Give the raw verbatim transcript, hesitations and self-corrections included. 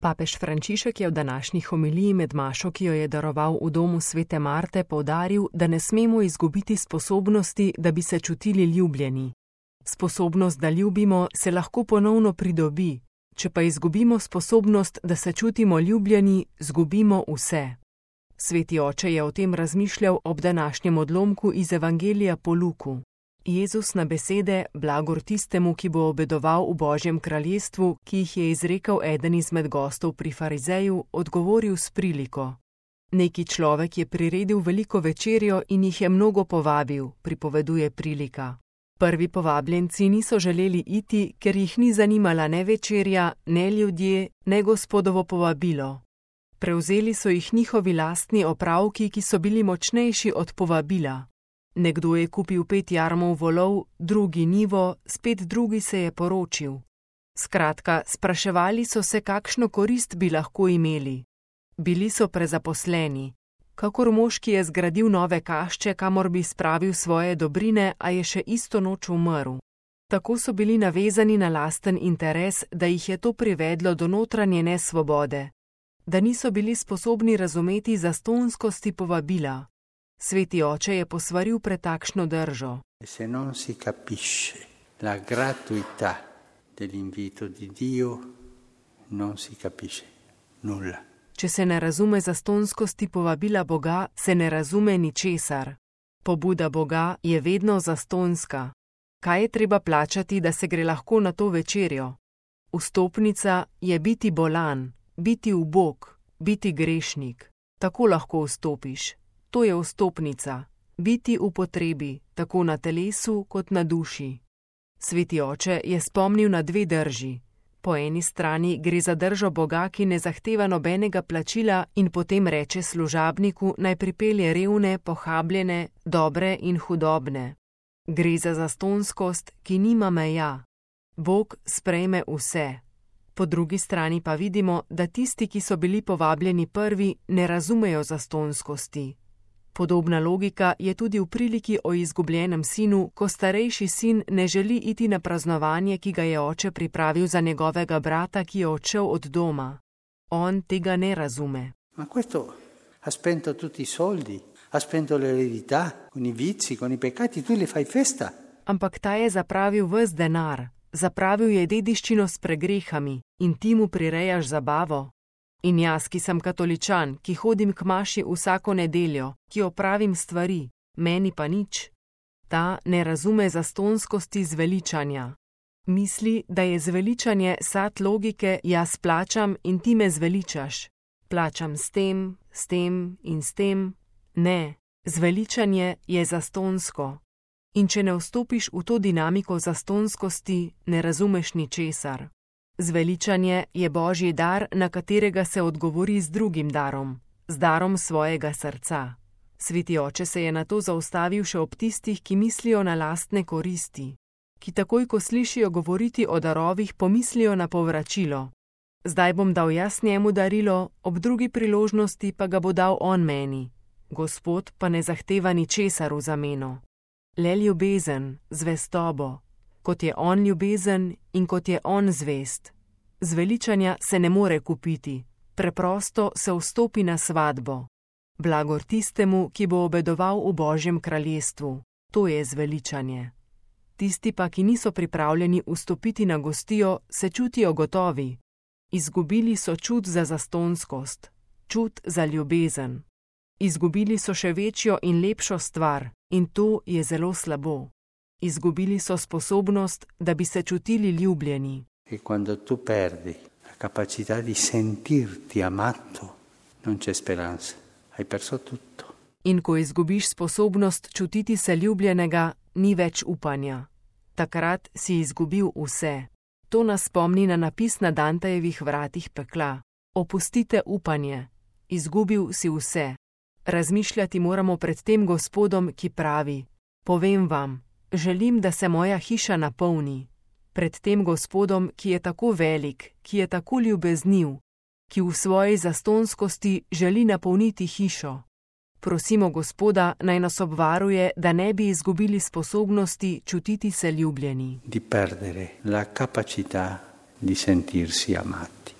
Papež Frančišek je v današnji homiliji med mašo, ki jo je daroval v domu svete Marte, poudaril, da ne smemo izgubiti sposobnosti, da bi se čutili ljubljeni. Sposobnost, da ljubimo, se lahko ponovno pridobi, če pa izgubimo sposobnost, da se čutimo ljubljeni, zgubimo vse. Sveti oče je o tem razmišljal ob današnjem odlomku iz Evangelija po Luku. Jezus na besede blagor tistemu, ki bo obedoval v Božjem kraljestvu, ki jih je izrekel eden izmed gostov pri farizeju, odgovoril s priliko. Neki človek je priredil veliko večerjo in jih je mnogo povabil, pripoveduje prilika. Prvi povabljenci niso želeli iti, ker jih ni zanimala ne večerja, ne ljudje, ne Gospodovo povabilo. Prevzeli so jih njihovi lastni opravki, ki so bili močnejši od povabila. Nekdo je kupil pet jarmov volov, drugi njivo, spet drugi se je poročil. Skratka, spraševali so se, kakšno korist bi lahko imeli. Bili so prezaposleni. Kakor mož, ki je zgradil nove kašče, kamor bi spravil svoje dobrine, a je še isto noč umrl. Tako so bili navezani na lasten interes, da jih je to privedlo do notranje nesvobode. Da niso bili sposobni razumeti zastonjskosti povabila. Sveti oče je posvaril pred takšno držo. Se non si capisce la gratuità dell'invito di Dio, non si capisce nulla. Če se ne razume zastonjskosti povabila Boga, se ne razume ničesar. Pobuda Boga je vedno zastonjska. Kaj je treba plačati, da se gre lahko na to večerjo? Vstopnica je biti bolan, biti ubog, biti grešnik. Tako lahko vstopiš. To je vstopnica, biti v potrebi, tako na telesu kot na duši. Sveti oče je spomnil na dve drži. Po eni strani gre za držo Boga, ki ne zahteva nobenega plačila in potem reče služabniku, naj pripelje revne, pohabljene, dobre in hudobne. Gre za zastonjskost, ki nima meja. Bog sprejme vse. Po drugi strani pa vidimo, da tisti, ki so bili povabljeni prvi, ne razumejo zastonjskosti. Podobna logika je tudi v priliki o izgubljenem sinu, ko starejši sin ne želi iti na praznovanje, ki ga je oče pripravil za njegovega brata, ki je odšel od doma. On tega ne razume. Ma questo ha spento tutti i soldi, ha spento l'eredità, con i vizi, con i peccati, tu li fai festa. Ampak ta je zapravil ves denar, zapravil je dediščino s pregrehami in ti mu prirejaš zabavo. In jaz, ki sem katoličan, ki hodim k maši vsako nedeljo, ki opravim stvari, meni pa nič. Ta ne razume zastonjskosti zveličanja. Misli, da je zveličanje sad logike, jaz plačam in ti me zveličaš. Plačam s tem, s tem in s tem. Ne, zveličanje je zastonjsko. In če ne vstopiš v to dinamiko zastonjskosti, ne razumeš ničesar. Zveličanje je Božji dar, na katerega se odgovori z drugim darom, z darom svojega srca. Sveti oče se je nato zaustavil še ob tistih, ki mislijo na lastne koristi, ki takoj, ko slišijo govoriti o darovih, pomislijo na povračilo. Zdaj bom dal jaz njemu darilo, ob drugi priložnosti pa ga bo dal on meni. Gospod pa ne zahteva ničesar v zameno. Le ljubezen, zvestobo. Kot je on ljubezen in kot je on zvest. Zveličanja se ne more kupiti, preprosto se vstopi na svatbo. Blagor tistemu, ki bo obedoval v Božjem kraljestvu, to je zveličanje. Tisti pa, ki niso pripravljeni vstopiti na gostijo, se čutijo gotovi. Izgubili so čut za zastonjskost, čut za ljubezen. Izgubili so še večjo in lepšo stvar in to je zelo slabo. Izgubili so sposobnost, da bi se čutili ljubljeni. E quando tu perdi la capacità di sentirti amato, non c'è speranza. Hai perso tutto. In ko izgubiš sposobnost čutiti se ljubljenega, ni več upanja. Takrat si izgubil vse. To nas spomni na napis na Dantejevih vratih pekla. Opustite upanje. Izgubil si vse. Razmišljati moramo pred tem Gospodom, ki pravi: povem vam, želim, da se moja hiša napolni. Pred tem Gospodom, ki je tako velik, ki je tako ljubezniv, ki v svoji zastonjskosti želi napolniti hišo. Prosimo Gospoda, naj nas obvaruje, da ne bi izgubili sposobnosti čutiti se ljubljeni. Di perdere la capacità di sentirsi amati.